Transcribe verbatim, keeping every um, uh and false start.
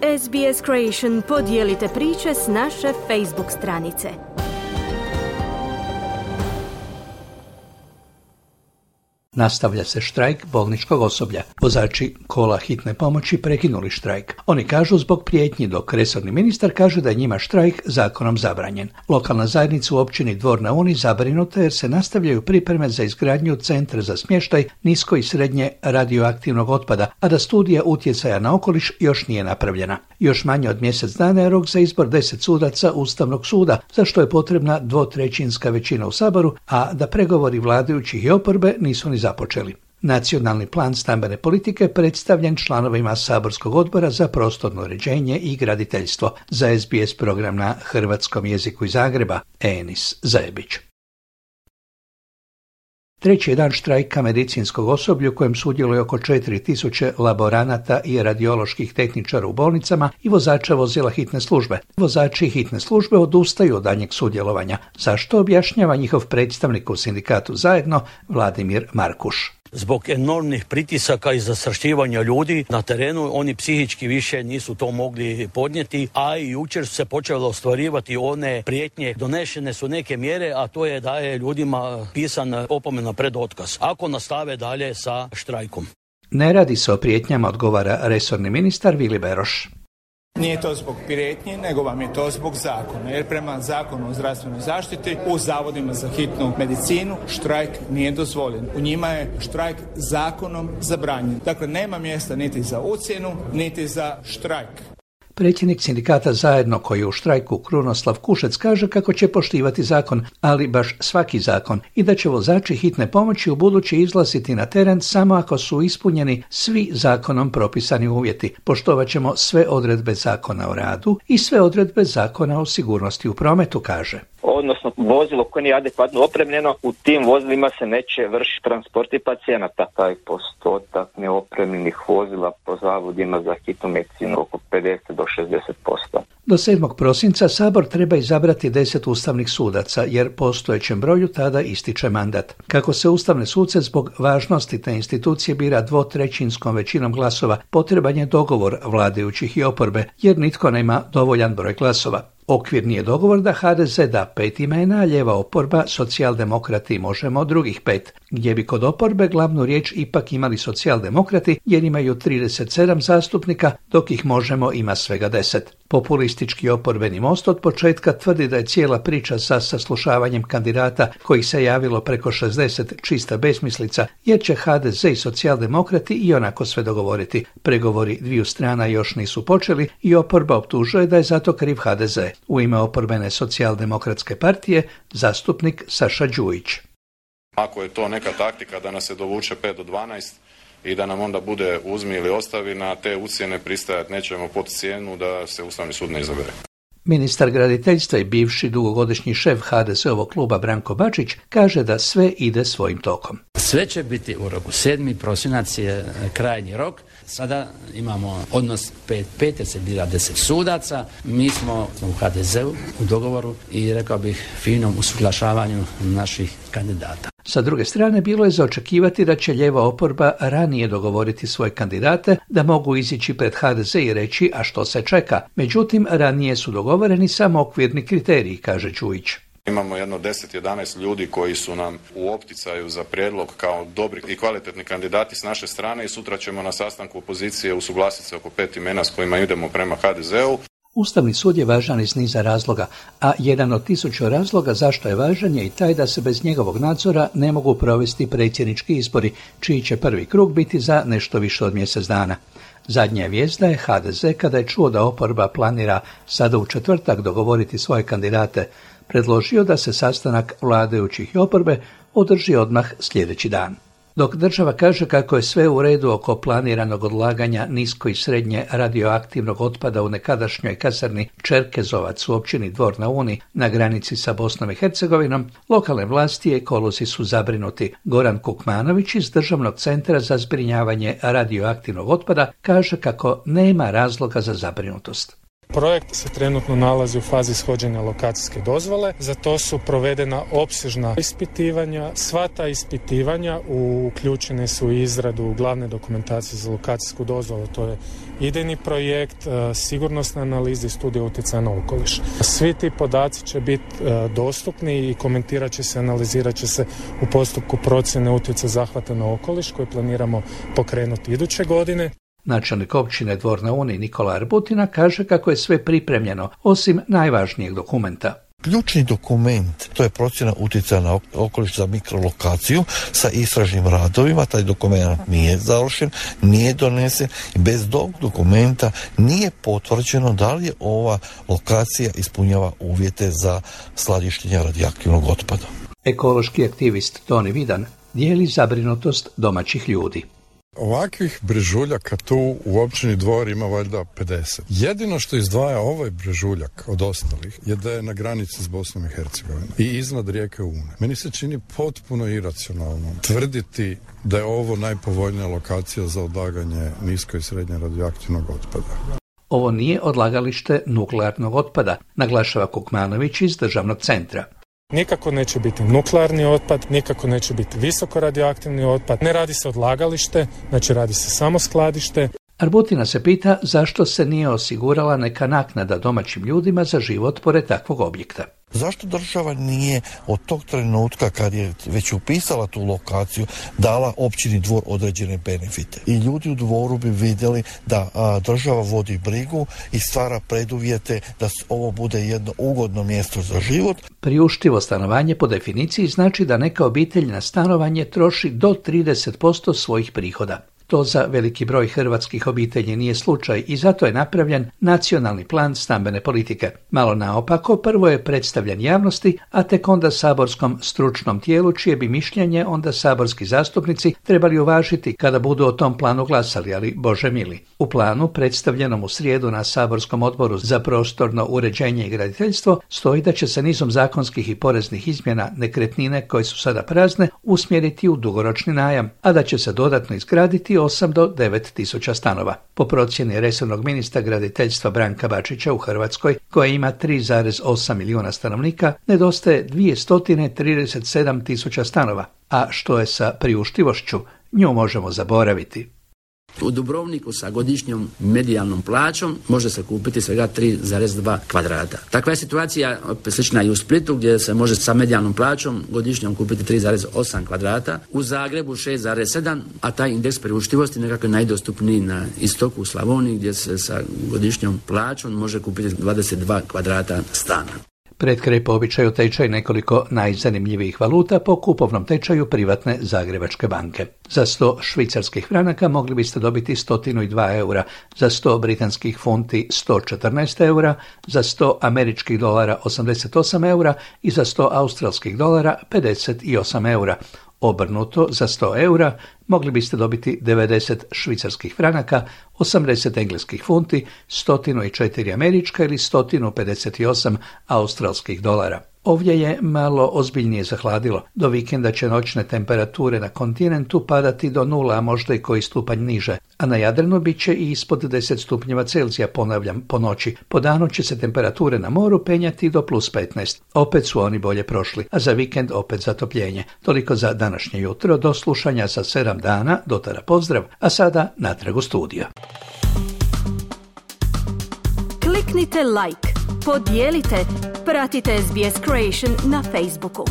S B S Creation podijelite priče s naše Facebook stranice. Nastavlja se štrajk bolničkog osoblja. Vozači kola hitne pomoći prekinuli štrajk. Oni kažu zbog prijetnji, dok resorni ministar kaže da je njima štrajk zakonom zabranjen. Lokalna zajednica u općini Dvor na Uni zabrinuta jer se nastavljaju pripreme za izgradnju centra za smještaj nisko i srednje radioaktivnog otpada, a da studija utjecaja na okoliš još nije napravljena. Još manje od mjesec dana je rok za izbor deset sudaca Ustavnog suda, za što je potrebna dvotrećinska većina u Saboru, a da pregovori vladajućih i oporbe nisu ni započeli. Nacionalni plan stambene politike predstavljen članovima Saborskog odbora za prostorno uređenje i graditeljstvo. Za S B S program na hrvatskom jeziku iz Zagreba, Enis Zajebić. Treći je dan štrajka medicinskog osoblja u kojem sudjeluje oko četiri tisuće laboranata i radioloških tehničara u bolnicama i vozača vozila hitne službe. Vozači hitne službe odustaju od daljnjeg sudjelovanja, zašto objašnjava njihov predstavnik u sindikatu Zajedno, Vladimir Markuš. Zbog enormnih pritisaka i zastrašivanja ljudi na terenu, oni psihički više nisu to mogli podnijeti, a i jučer su se počelo ostvarivati one prijetnje. Donešene su neke mjere, a to je da je ljudima pisan opomena pred otkaz ako nastave dalje sa štrajkom. Ne radi se o prijetnjama, odgovara resorni ministar Vili Beroš. Nije to zbog prijetnji, nego vam je to zbog zakona. Jer prema zakonu o zdravstvenoj zaštiti u zavodima za hitnu medicinu štrajk nije dozvoljen. U njima je štrajk zakonom zabranjen. Dakle, nema mjesta niti za ucjenu, niti za štrajk. Predsjednik sindikata Zajedno, koji je u štrajku, Krunoslav Kušec, kaže kako će poštivati zakon, ali baš svaki zakon, i da će vozači hitne pomoći u buduće izlaziti na teren samo ako su ispunjeni svi zakonom propisani uvjeti. Poštovat ćemo sve odredbe Zakona o radu i sve odredbe Zakona o sigurnosti u prometu, kaže. Odnosno, vozilo koje nije adekvatno opremljeno, u tim vozilima se neće vršiti transporti pacijenata. Taj postotak neopremljenih vozila po zavodima za hitnu medicinu oko pedeset do šezdeset posto. Do sedmog prosinca Sabor treba izabrati deset ustavnih sudaca, jer postojećem broju tada ističe mandat. Kako se ustavne suce zbog važnosti te institucije bira dvotrećinskom većinom glasova, potreban je dogovor vladajućih i oporbe, jer nitko nema dovoljan broj glasova. Okvirni je dogovor da H D Z da pet imena, a lijeva oporba, socijaldemokrati Možemo drugih pet, gdje bi kod oporbe glavnu riječ ipak imali socijaldemokrati jer imaju trideset sedam zastupnika, dok ih Možemo ima svega deset. Populistički oporbeni Most od početka tvrdi da je cijela priča sa saslušavanjem kandidata kojih se javilo preko šezdeset čista besmislica, jer će H D Z i socijaldemokrati i onako sve dogovoriti. Pregovori dviju strana još nisu počeli i oporba optužuje da je zato kriv H D Z. U ime oporbene socijaldemokratske partije zastupnik Saša Đujić. Ako je to neka taktika da nas se dovuče pet do dvanaest i da nam onda bude uzmi ili ostavi, na te ucjene pristajati nećemo pod cijenu da se Ustavni sud ne izabere. Ministar graditeljstva i bivši dugogodišnji šef H D S-ovog kluba Branko Bačić kaže da sve ide svojim tokom. Sve će biti u roku. sedmi prosinac je krajnji rok. Sada imamo odnos pet pet jer se bira deset sudaca. Mi smo u H D Z-u u dogovoru i rekao bih finom usuglašavanju naših kandidata. Sa druge strane, bilo je za očekivati da će lijeva oporba ranije dogovoriti svoje kandidate, da mogu izići pred H D Z i reći a što se čeka. Međutim, ranije su dogovoreni samo okvirni kriteriji, kaže Đujić. Imamo jedno deset do jedanaest ljudi koji su nam u opticaju za prijedlog kao dobri i kvalitetni kandidati s naše strane i sutra ćemo na sastanku opozicije usuglasiti se oko pet imena s kojima idemo prema H D Z-u. Ustavni sud je važan iz niza razloga, a jedan od tisuću razloga zašto je važan je i taj da se bez njegovog nadzora ne mogu provesti predsjednički izbori, čiji će prvi krug biti za nešto više od mjesec dana. Zadnja vijest da je H D Z, kada je čuo da oporba planira sada u četvrtak dogovoriti svoje kandidate, predložio da se sastanak vladajućih i oporbe održi odmah sljedeći dan. Dok država kaže kako je sve u redu oko planiranog odlaganja nisko i srednje radioaktivnog otpada u nekadašnjoj kasarni Čerkezovac u općini Dvor na Uni na granici sa Bosnom i Hercegovinom, lokalne vlasti i ekolozi su zabrinuti. Goran Kukmanović iz Državnog centra za zbrinjavanje radioaktivnog otpada kaže kako nema razloga za zabrinutost. Projekt se trenutno nalazi u fazi ishođenja lokacijske dozvole. Za to su provedena opsežna ispitivanja. Sva ta ispitivanja uključene su u izradu glavne dokumentacije za lokacijsku dozvolu. To je idejni projekt, sigurnosne analize i studije utjecaja na okoliš. Svi ti podaci će biti dostupni i komentirat će se, analizirat će se u postupku procjene utjecaja zahvata na okoliš koji planiramo pokrenuti iduće godine. Načelnik općine Dvor na Uni Nikola Arbutina kaže kako je sve pripremljeno, osim najvažnijeg dokumenta. Ključni dokument, to je procjena utjecaja na okoliš za mikrolokaciju sa istražnim radovima. Taj dokument nije završen, nije donesen i bez tog dokumenta nije potvrđeno da li je ova lokacija ispunjava uvjete za skladištenje radioaktivnog otpada. Ekološki aktivist Toni Vidan dijeli zabrinutost domaćih ljudi. Ovakvih brežuljaka tu u općini Dvor ima valjda pedeset. Jedino što izdvaja ovaj brežuljak od ostalih je da je na granici s Bosnom i Hercegovinom i iznad rijeke Une. Meni se čini potpuno iracionalno tvrditi da je ovo najpovoljnija lokacija za odlaganje nisko i srednje radioaktivnog otpada. Ovo nije odlagalište nuklearnog otpada, naglašava Kukmanović iz državnog centra. Nikako neće biti nuklearni otpad, nikako neće biti visoko radioaktivni otpad. Ne radi se odlagalište, znači radi se samo skladište. Arbutina se pita zašto se nije osigurala neka naknada domaćim ljudima za život pored takvog objekta. Zašto država nije od tog trenutka kad je već upisala tu lokaciju dala općini Dvor određene benefite? I ljudi u Dvoru bi vidjeli da a, država vodi brigu i stvara preduvjete da ovo bude jedno ugodno mjesto za život. Priuštivo stanovanje po definiciji znači da neka obitelj na stanovanje troši do trideset posto svojih prihoda. To za veliki broj hrvatskih obitelji nije slučaj i zato je napravljen nacionalni plan stambene politike. Malo naopako, prvo je predstavljen javnosti, a tek onda saborskom stručnom tijelu, čije bi mišljenje onda saborski zastupnici trebali uvažiti kada budu o tom planu glasali, ali Bože mili. U planu, predstavljenom u srijedu na saborskom odboru za prostorno uređenje i graditeljstvo, stoji da će se nizom zakonskih i poreznih izmjena nekretnine koje su sada prazne usmjeriti u dugoročni najam, a da će se dodatno izgraditi osam do devet tisuća stanova. Po procjeni resornog ministra graditeljstva Branka Bačića u Hrvatskoj, koja ima tri zarez osam milijuna stanovnika, nedostaje dvjesto trideset sedam tisuća stanova. A što je sa priuštivošću, nju možemo zaboraviti. U Dubrovniku sa godišnjom medijalnom plaćom može se kupiti svega tri zarez dva kvadrata. Takva je situacija slična i u Splitu gdje se može sa medijalnom plaćom godišnjom kupiti tri zarez osam kvadrata. U Zagrebu šest zarez sedam, a taj indeks priuštivosti nekako je najdostupniji na istoku u Slavoniji gdje se sa godišnjom plaćom može kupiti dvadeset dva kvadrata stana. Pred kraj po običaju tečaj nekoliko najzanimljivijih valuta po kupovnom tečaju privatne Zagrebačke banke. Za sto švicarskih franaka mogli biste dobiti sto dva eura, za sto britanskih funti sto četrnaest eura, za sto američkih dolara osamdeset osam eura i za sto australskih dolara pedeset osam eura. Obrnuto, za sto eura mogli biste dobiti devedeset švicarskih franaka, osamdeset engleskih funti, sto četiri američka ili sto pedeset osam australskih dolara. Ovdje je malo ozbiljnije zahladilo. Do vikenda će noćne temperature na kontinentu padati do nula, a možda i koji stupanj niže. A na Jadranu bit će i ispod deset stupnjeva Celzija, ponavljam, po noći. Po danu će se temperature na moru penjati do plus petnaest. Opet su oni bolje prošli, a za vikend opet zatopljenje. Toliko za današnje jutro, do slušanja za sedam dana, dotara pozdrav, a sada natrag u studio. Kliknite like, podijelite, pratite S B S Creation na Facebooku.